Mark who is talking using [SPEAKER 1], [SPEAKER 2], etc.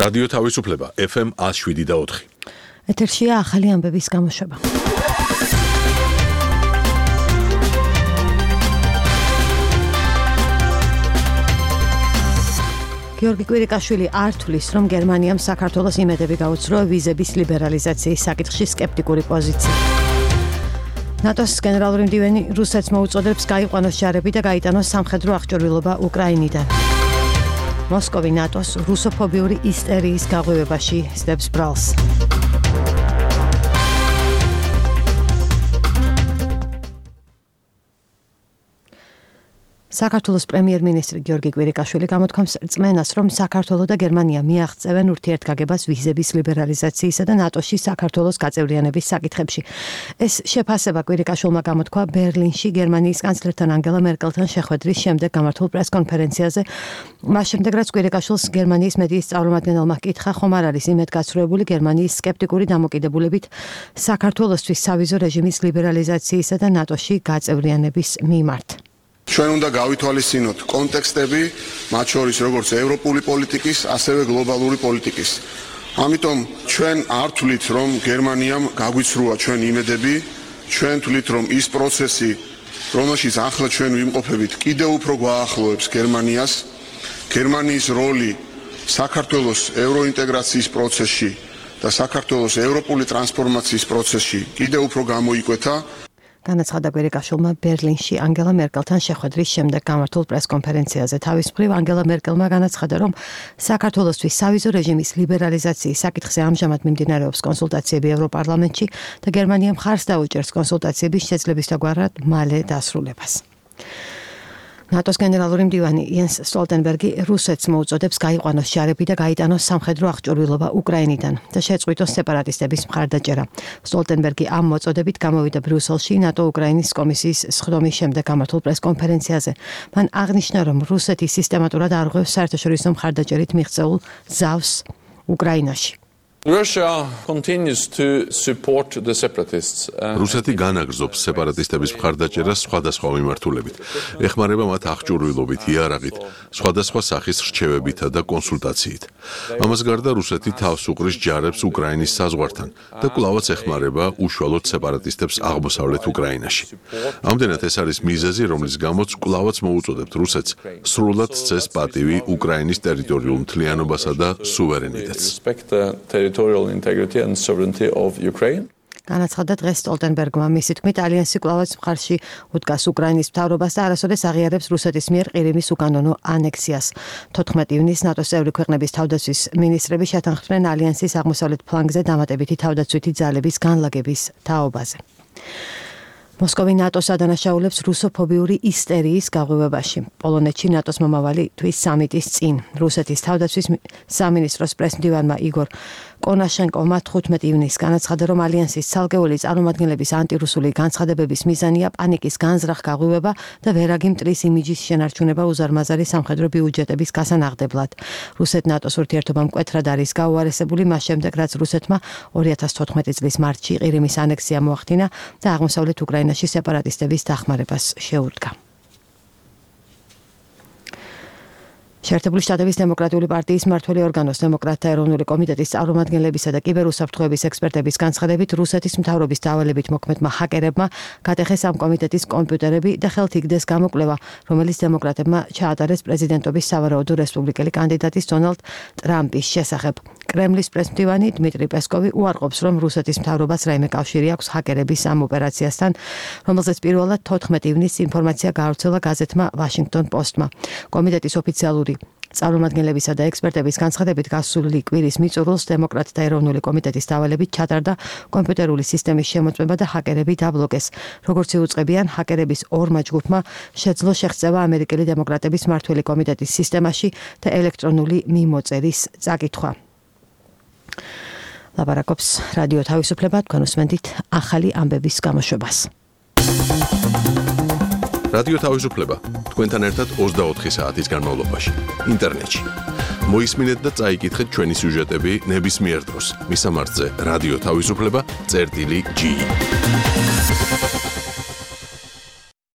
[SPEAKER 1] რადიო თავისუფლება FM 107.4.
[SPEAKER 2] ეთერშია ახალი ამბების გამოშვება. გიორგი კვირიკაშვილი არ თვლის, რომ გერმანიამ საქართველოს იმედები გაუცროა ვიზების ლიბერალიზაციის საკითხში სკეპტიკური პოზიცია. ნატოს გენერალური მდივანი რუსეთს მოუწოდებს გაიყვანოს ჯარები და გაიტანოს სამხედრო აღჭურვილობა უკრაინიდან. მოსკოვი ნატოს რუსოფობიური ისტერიის გაღვივებაში სდებს ბრალს. საქართველოს პრემიერ-მინისტრი გიორგი კვირიკაშვილი გამოთქვამს რწმენას, რომ საქართველო და გერმანია მიაღწევენ ურთიერთგაგებას ვიზების ლიბერალიზაციისა და ნატოში საქართველოს გაწევრიანების საკითხებში. ეს შეფასება კვირიკაშვილმა გამოთქვა ბერლინში გერმანიის კანცლერთან ანგელა მერკელთან შეხვედრის შემდეგ გამართულ პრეს-კონფერენციაზე. მას შემდეგ, რაც კვირიკაშვილს გერმანიის მედიის წარმომადგენელმა ჰკითხა, ხომ არ არის იმედგაცრუებული გერმანიის სკეპტიკური დამოკიდებულებით საქართველოსთვის სავიზო რეჟიმის ლიბერალიზაციისა და ნატოში გაწევრიანების მიმართ.
[SPEAKER 3] ჩვენ უნდა გავითვალისწინოთ კონტექსტები, მათ შორის როგორც ევროპული პოლიტიკის, ასევე გლობალური პოლიტიკის. ამიტომ ჩვენ არ თვლით, რომ გერმანიამ გაგვიცრუა ჩვენ იმედები, ჩვენ თვლით, რომ ის პროცესი, რომელშიც ახლა ჩვენ ვიმყოფებით, კიდევ უფრო გვაახლოებს გერმანიას. გერმანიის როლი საქართველოს ევროინტეგრაციის პროცესში და საქართველოს ევროპული ტრანსფორმაციის პროცესში კიდევ უფრო გამოიკვეთა.
[SPEAKER 2] განაცხადა კვირიკაშვილმა ბერლინში ანგელა მერკელთან შეხვედრის შემდეგ გამართულ პრეს-კონფერენციაზე. თავის მხრივ ანგელა მერკელმა განაცხადა, რომ საქართველოსთვის სავიზო რეჟიმის ლიბერალიზაციის საკითხზე ამჟამად მიმდინარეობს კონსულტაციები ევროპარლამენტში და გერმანია მხარს დაუჭერს კონსულტაციების შეძლებისდაგვარად მალე დასრულებას. ნატოს გენერალური მდივანი იენს სტოლტენბერგი რუსეთს მოუწოდებს გაიყვანოს ჯარები და გაიტანოს სამხედრო აღჭურვილობა უკრაინიდან და შეწყვიტოს სეპარატისტების მხარდაჭერა. სტოლტენბერგი ამ მოწოდებით გამოვიდა ბრიუსელში ნატო-უკრაინის კომისიის სხდომის შემდეგ გამართულ პრეს-კონფერენციაზე. მან აღნიშნა, რომ რუსეთი სისტემატურად არღვევს საერთაშორისო მხარდაჭერით მიღწეულ ზავს უკრაინაში.
[SPEAKER 4] Russia continues to support the separatists.
[SPEAKER 1] რუსეთი განაგრძობს სეპარატისტების მხარდაჭერას სხვადასხვა მიმართულებით. ეხმარება მათ აღჭურვილობით, იარაღით, სხვადასხვა სახის რჩევებითა და კონსულტაციით. ამას გარდა რუსეთი თავს უყრის ჯარებს უკრაინის საზღვართან და კვლავაც ეხმარება უშუალოდ სეპარატისტებს აღმოსავლეთ უკრაინაში. ამდენად ეს არის მიზეზი, რომლის გამოც კვლავაც მოუწოდებთ რუსეთს სრულად სცეს პატივი უკრაინის ტერიტორიულ მთლიანობასა და სუვერენიტეტს.
[SPEAKER 4] Territorial integrity and sovereignty of Ukraine.
[SPEAKER 2] განაცხადა დღეს სტოლტენბერგმა. მისი თქმით, ალიანსი კვლავაც მხარში უდგას უკრაინის მთავრობას და არასოდეს აღიარებს რუსეთის მიერ ყირიმის უკანონო ანექსიას. 14 ივნისს ნატოს წევრი ქვეყნების თავდაცვის მინისტრები შეთანხმდნენ ალიანსის აღმოსავლეთ ფლანგზე დამატებითი თავდაცვითი ძალების განლაგების თაობაზე. მოსკოვი ნატოს ადანაშაულებს რუსოფობიური ისტერიის გაღვივებაში. პოლონეთში ნატოს მომავალი თვის სამიტის წინ რუსეთის თავდაცვის სამინისტროს პრესმდივანმა იგორ კონაშენკოვმა 15 ივნისს განაცხადა, რომ ალიანსის ცალკეული წარმომადგენლების ანტირუსული განცხადებების მიზანია პანიკის განზრახ გაღვივება და ვერაგი მტრის იმიჯის შენარჩუნება უზარმაზარი სამხედრო ბიუჯეტების გასანაღდებლად. რუსეთ-ნატოს ურთიერთობა მკვეთრად არის გაუარესებული მას შემდეგ, რაც რუსეთმა 2014 წლის მარტში ყირიმის ანექსია მოახდინა და აღმოსავლეთ უკრაინაში სეპარატისტების დახმარებას შეუდგა. შეერთებული შტატების დემოკრატიული პარტიის მმართველი ორგანოს დემოკრატთა ეროვნული კომიტეტის წარმომადგენლებისა და კიბერუსაფრთხოების ექსპერტების განცხადებით რუსეთის მთავრობის დავალებით მოქმედმა ჰაკერებმა გატეხეს ამ კომიტეტის კომპიუტერები და ხელთ იგდეს გამოკვლევა, რომელიც დემოკრატებმა ჩაატარეს პრეზიდენტობის სავარაუდო რესპუბლიკელი კანდიდატის დონალდ ტრამპის შესახებ. კრემლის პრესმდივანი დმიტრი პესკოვი უარყოფს, რომ რუსეთის მთავრობას რაიმე კავშირი აქვს ჰაკერების ამ ოპერაციასთან, რომელზეც პირველად 14 ივნისს ინფორმაცია გაავრცელა გაზეთმა Washington Post-მა. კომიტეტის ოფიციალური წარმომადგენლებისა და ექსპერტების განცხადებით გასული კვირის მიწურულს დემოკრატთა ეროვნული კომიტეტის დავალებით ჩატარდა კომპიუტერული სისტემის შემოწმება და ჰაკერები დაბლოკეს. როგორც იუწყებიან, ჰაკერების ორმა ჯგუფმა შეძლო შეღწევა ამერიკელი დემოკრატების მმართველი კომიტეტის სისტემაში და ელექტრონული მიმოწერის წაკითხვა. ლაპარაკობს რადიო თავისუფლება, თქვენ უსმენთ ახალი ამბების გამოშვებას.
[SPEAKER 1] რადიო თავისუფლება თქვენთან ერთად 24 საათის განმავლობაში ინტერნეტში. მოისმინეთ და წაიკითხეთ ჩვენი სიუჟეტები ნებისმიერ დროს. მისამართზე რადიო თავისუფლება წერტილი G.